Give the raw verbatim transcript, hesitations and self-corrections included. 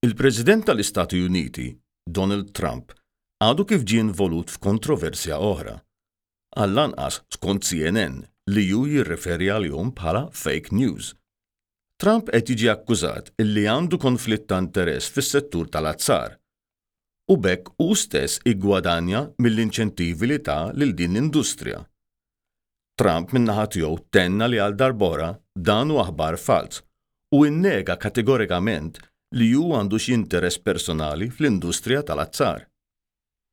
Il-President tal-Istati Uniti, Donald Trump, għadu kif ġie involut f'kontroversja oħra. Għall-anqas skont C N N li hu jirreferi għalihom bħala fake news. Trump qed jiġi akkużat illi għandu konflitt ta' interess fis-settur tal-azzar. U b'hekk hu stess iggwadanja mill-inċentivi li ta lil din l-industrija. Trump min-naħa tiegħu tenna li għal darb'oħra dan hu aħbar falz u innega kategorikament li hu għandu xi interess personali fl-industrija tal-azzar.